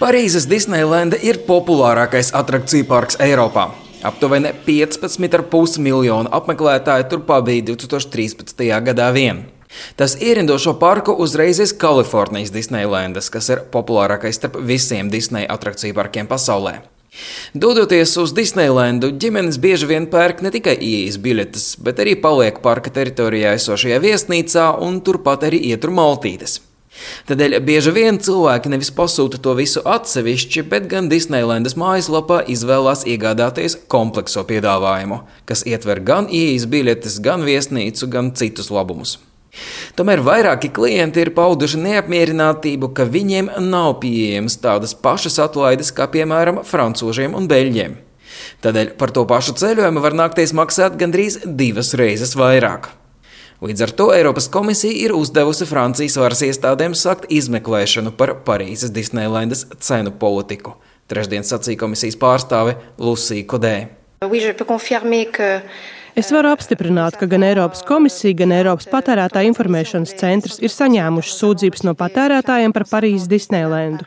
Parīzes Disneylanda ir populārākais atrakciju parks Eiropā. Aptuveni 15,5 miljonu apmeklētāju tur pabija 2013. gadā vien. Tas ierindošo parku uzreiz ir Kalifornijas Disneylandas, kas ir populārākais starp visiem Disneja atrakciju parkiem pasaulē. Dodoties uz Disneylandu, ģimenes bieži vien pērk ne tikai ieejas biļetes, bet arī paliek parka teritorijā esošajā viesnīcā un turpat arī ietur maltītes. Tādēļ bieži vien cilvēki nevis pasūta to visu atsevišķi, bet gan Disneylandas mājaslapā izvēlās iegādāties komplekso piedāvājumu, kas ietver gan ieejas biļetes, gan viesnīcu, gan citus labumus. Tomēr vairāki klienti ir pauduši neapmierinātību, ka viņiem nav pieejamas tādas pašas atlaides kā piemēram francūžiem un beļģiem. Tādēļ par to pašu ceļojumu var nākties maksāt gandrīz 2 reizes vairāk. Līdz ar to Eiropas komisija ir uzdevusi Francijas varas iestādēm sākt izmeklēšanu par Parīzes Disneylandas cenu politiku. Trešdien sacīja komisijas pārstāve Lucija Kodē. Es varu apstiprināt, ka gan Eiropas komisija, gan Eiropas patērētāju informēšanas centrs ir saņēmuši sūdzības no patērētājiem par Parīzes Disneylandu.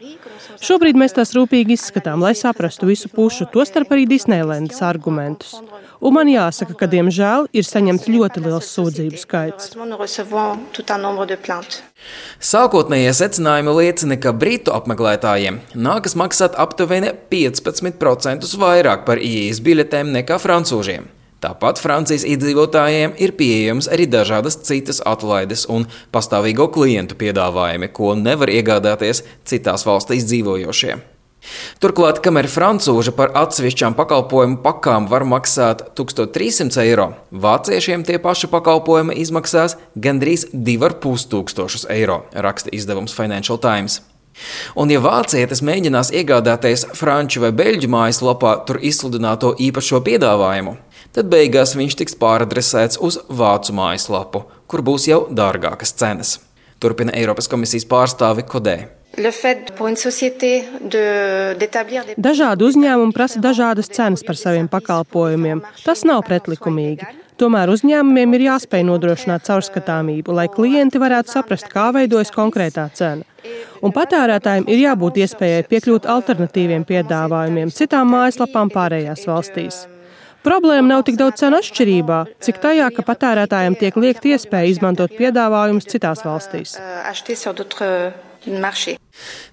Šobrīd mēs tās rūpīgi izskatām, lai saprastu visu pušu, tostarp arī Disneylandas argumentus. Un man jāsaka, ka, diemžēl, ir saņemts ļoti liels sūdzību skaits. Sākotnējie secinājumi liecina, ka britu apmeklētājiem nākas maksāt aptuveni 15% vairāk par ieejas biļetēm nekā francūžiem. Tāpat Francijas iedzīvotājiem ir pieejamas arī dažādas citas atlaides un pastāvīgo klientu piedāvājumi, ko nevar iegādāties citās valstīs dzīvojošie. Turklāt, kamēr francūži par atsevišķām pakalpojumu pakām var maksāt 1300 eiro, vāciešiem tie paši pakalpojumi izmaksās gandrīz 2500 eiro, raksta izdevums Financial Times. Un ja vācietis mēģinās iegādāties franču vai beļģu mājaslapā tur izsludināto īpašo piedāvājumu, tad beigās viņš tiks pāradresēts uz vācu mājaslapu, kur būs jau dārgākas cenas. Turpina Eiropas komisijas pārstāve Kodē. Dažādi uzņēmumi prasa dažādas cenas par saviem pakalpojumiem. Tas nav pretlikumīgi. Tomēr uzņēmumiem ir jāspēj nodrošināt caurskatāmību, lai klienti varētu saprast, kā veidojas konkrētā cena. Un patērētājiem ir jābūt iespējai piekļūt alternatīviem piedāvājumiem citām mājaslapām pārējās valstīs. Problēma nav tik daudz cenu atšķirībā, cik tajā, ka patērētājiem tiek liekta iespēja izmantot piedāvājumus citās valstīs.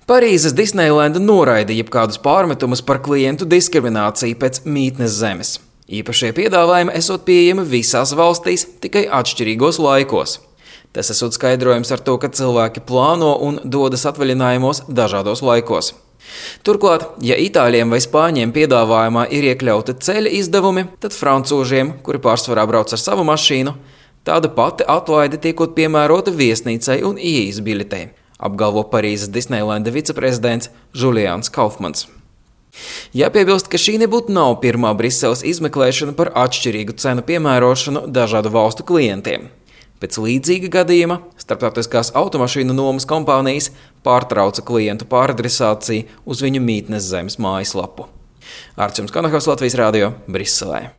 Parīzes Disneylanda noraida jebkādus pārmetumus par klientu diskrimināciju pēc mītnes zemes. Īpašie piedāvājumi esot pieejami visās valstīs, tikai atšķirīgos laikos. Tas esot skaidrojums ar to, ka cilvēki plāno un dodas atvaļinājumos dažādos laikos. Turklāt, ja itāļiem vai spāņiem piedāvājumā ir iekļauti ceļa izdevumi, tad francūžiem, kuri pārsvarā brauc ar savu mašīnu, tāda pati atlaide tiekot piemērota viesnīcai un ieejas biļetei, apgalvo Parīzes Disneylanda viceprezidents Julians Kaufmans. Jāpiebilst, ka šī nebūtu nav pirmā Briseles izmeklēšana par atšķirīgu cenu piemērošanu dažādu valstu klientiem. Pēc līdzīga gadījuma starptautiskās automašīnu nomas kompānijas pārtrauca klientu pāradresāciju uz viņu mītnes zemes mājaslapu. Arčuns Kanahos, Latvijas Rādio, Briselē.